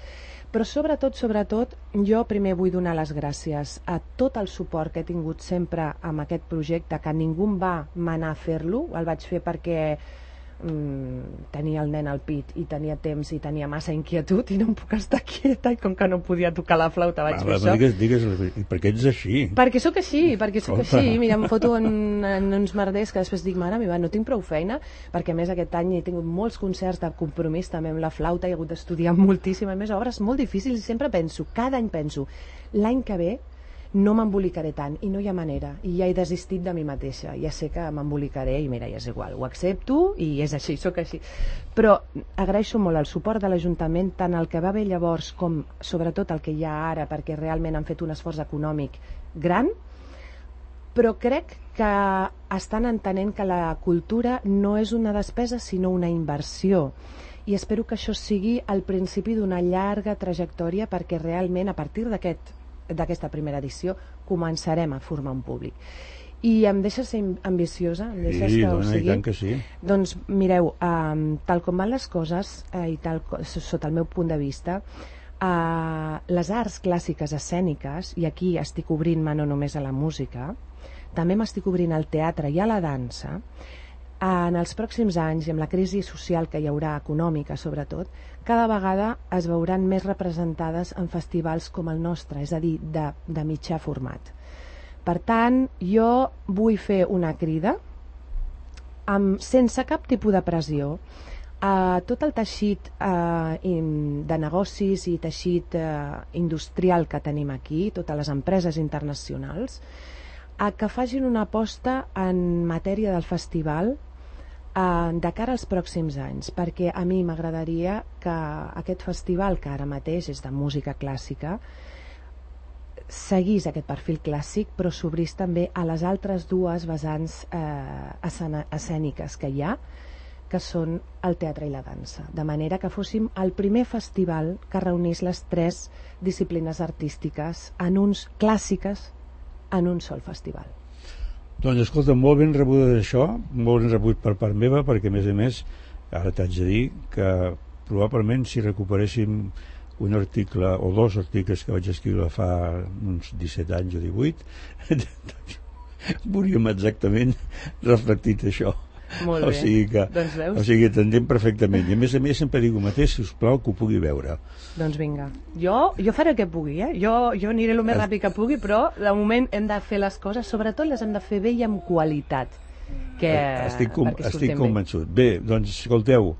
Però sobretot, jo primer vull donar les gràcies a tot el suport que he tingut sempre amb aquest projecte, que ningú em va manar a fer-lo, el vaig fer perquè tenia el nen al pit i tenia temps i tenia massa inquietud i no em puc estar quieta, i com que no podia tocar la flauta vaig fer això. Digues, perquè ets així. Perquè sóc així, mira, em foto en uns merders que després dic, mare meva, no tinc prou feina, perquè a més aquest any he tingut molts concerts de compromís també amb la flauta, he hagut d'estudiar moltíssim, a més obres molt difícils, i sempre penso, cada any penso, l'any que ve no m'embolicaré tant, i no hi ha manera, i ja he desistit de mi mateixa, ja sé que m'embolicaré i mira, ja és igual, ho accepto i és així, sóc així, però agraeixo molt el suport de l'Ajuntament, tant el que va haver llavors com sobretot el que hi ha ara, perquè realment han fet un esforç econòmic gran, però crec que estan entenent que la cultura no és una despesa sinó una inversió, i espero que això sigui el principi d'una llarga trajectòria, perquè realment a partir d'aquesta primera edició començarem a formar un públic. I em deixes ser ambiciosa? Em deixes sí, que ho sigui? I tant que sí. Doncs mireu, tal com van les coses, i tal sota el meu punt de vista, les arts clàssiques escèniques, i aquí estic obrint-me no només a la música, també m'estic obrint al teatre i a la dansa, en els pròxims anys, i amb la crisi social que hi haurà, econòmica sobretot, cada vegada es veuran més representades en festivals com el nostre, és a dir, de mitjà format. Per tant, jo vull fer una crida sense cap tipus de pressió a tot el teixit de negocis i teixit industrial que tenim aquí, totes les empreses internacionals, a que facin una aposta en matèria del festival de cara als pròxims anys, perquè a mi m'agradaria que aquest festival, que ara mateix és de música clàssica, seguís aquest perfil clàssic, però s'obrís també a les altres dues vessants escèniques que hi ha, que són el teatre i la dansa, de manera que fóssim el primer festival que reunís les tres disciplines artístiques clàssiques en un sol festival. Doncs escolta, molt ben rebut d'això, molt ben rebut per part meva, perquè a més, ara t'haig de dir que probablement si recuperéssim un article o dos articles que vaig escriure fa uns 17 anys o 18, veuríem exactament reflectit això. Molt bé. O sigui que, doncs veus? o sigui, t'entenc perfectament. I a més sempre dic el mateix, si us plau, que ho pugui veure. Doncs vinga. Jo faré el que pugui, Jo aniré el més ràpid que pugui, però de moment hem de fer les coses, sobretot les hem de fer bé i amb qualitat. Estic convençut. Bé, doncs, escolteu,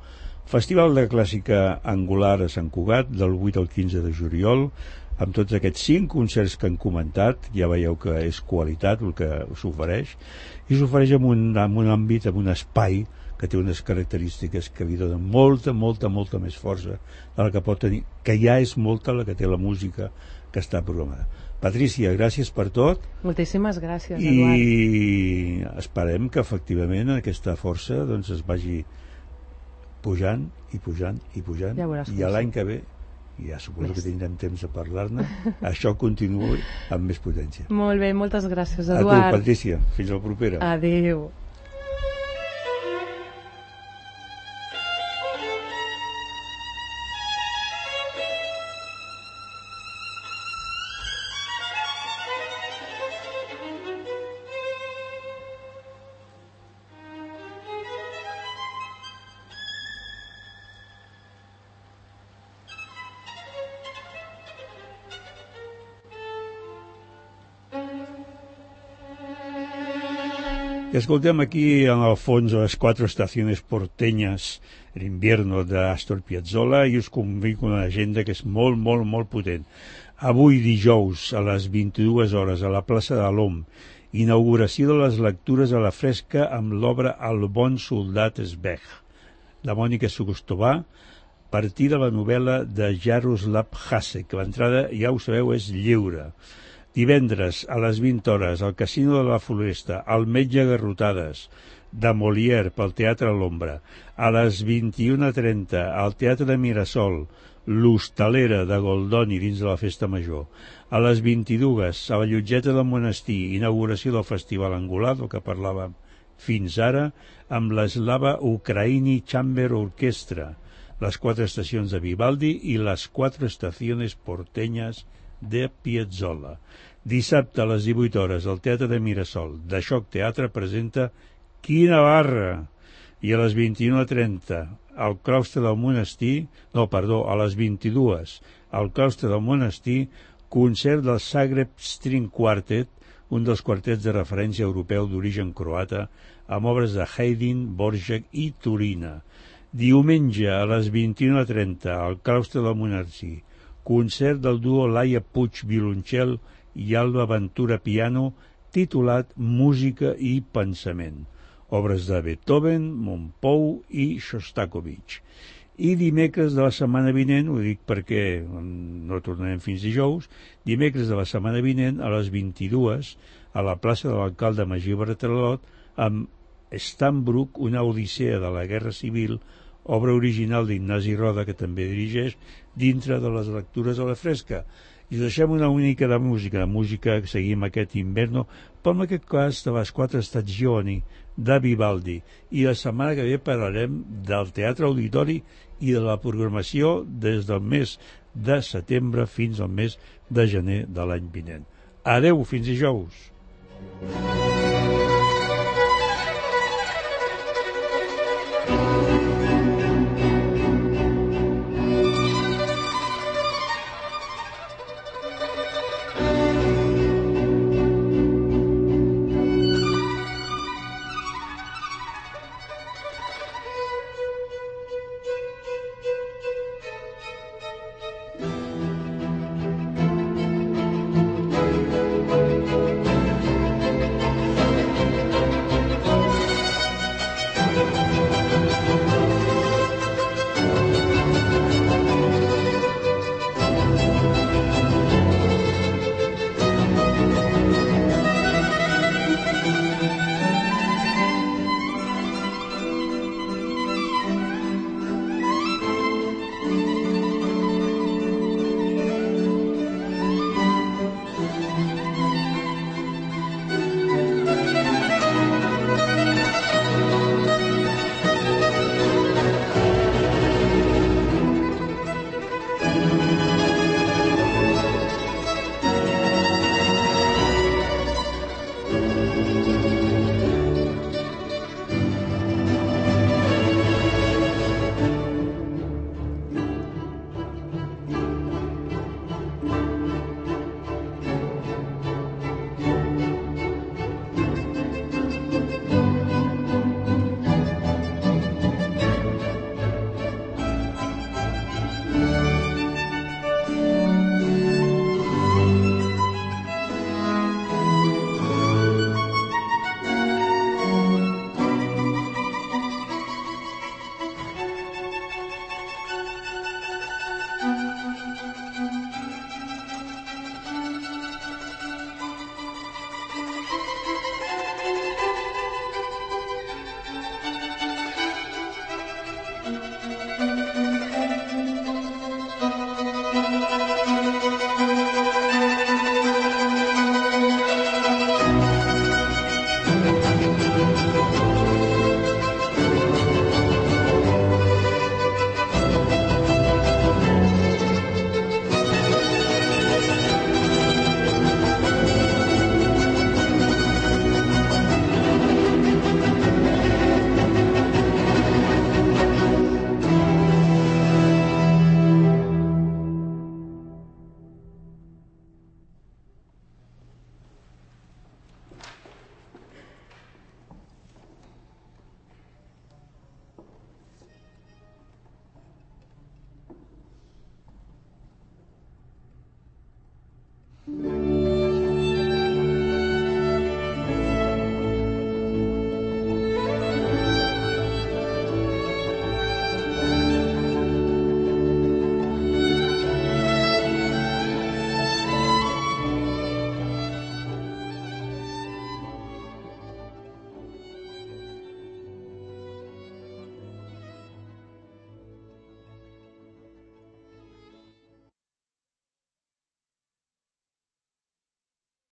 Festival de Clàssica Angular a Sant Cugat, del 8 al 15 de juliol, amb tots aquests 5 concerts que han comentat. Ja veieu que és qualitat el que s'ofereix, i s'ofereix en un àmbit, en un espai que té unes característiques que li donen molta més força de la que pot tenir, que ja és molta la que té la música que està programada. Patrícia, gràcies per tot. Moltíssimes gràcies, Eduard. I esperem que efectivament aquesta força doncs, es vagi pujant i pujant i pujant, ja i l'any que ve, ja suposo que tindrem temps de parlar-ne, això continuï amb més potència. Molt bé, moltes gràcies, Eduard. A tu, Patrícia, fins la propera. Adéu. Escoltem aquí en el fons les 4 estaciones porteñas, el invierno d'Astor Piazzolla, i us convido una agenda que és molt potent. Avui dijous a les 22 hores a la plaça de l'Om, inauguració de les lectures a la fresca amb l'obra El bon soldat Sveg, de Mònica Sugostovà, partir de la novel·la de Jaroslav Hasek, que l'entrada, ja ho sabeu, és lliure. Divendres, a les 20 hores, al Casino de la Floresta, El metge Garrotades, de Molière, pel Teatre a l'Ombra. A les 21:30, al Teatre de Mirasol, L'Hostalera, de Goldoni, dins de la Festa Major. A les 22, a la Llotgeta del Monestir, inauguració del Festival Angular, del que parlàvem fins ara, amb l'Slava Ukraini Chamber Orchestra, les 4 estacions de Vivaldi i les 4 estaciones porteñas de Piazzolla. Dissabte a les 18 hores al Teatre de Mirasol, de Xoc Teatre presenta Quina barra! I a les 21:30 al claustre del monestir, a les 22 al claustre del monestir, concert del Zagreb String Quartet, un dels quartets de referència europeu d'origen croata, amb obres de Haydn, Dvořák i Turina. Diumenge a les 21:30 al claustre del monestir, concert del duo Laia Puig violoncel i Alba Ventura piano, titulat Música i pensament. Obres de Beethoven, Montpou i Shostakovich. I dimecres de la setmana vinent, ho dic perquè no tornarem fins dijous, dimecres de la setmana vinent a les 22 a la plaça de l'alcalde Magí Bartralot amb Stambruck, una odissea de la Guerra Civil, obra original d'Ignasi Roda, que també dirigeix, dintre de les lectures a la fresca. I us deixem una única de música que seguim aquest inverno, però en aquest cas de les 4 stagioni de Vivaldi. I la setmana que ve parlarem del Teatre Auditori i de la programació des del mes de setembre fins al mes de gener de l'any vinent. Adeu, fins dijous.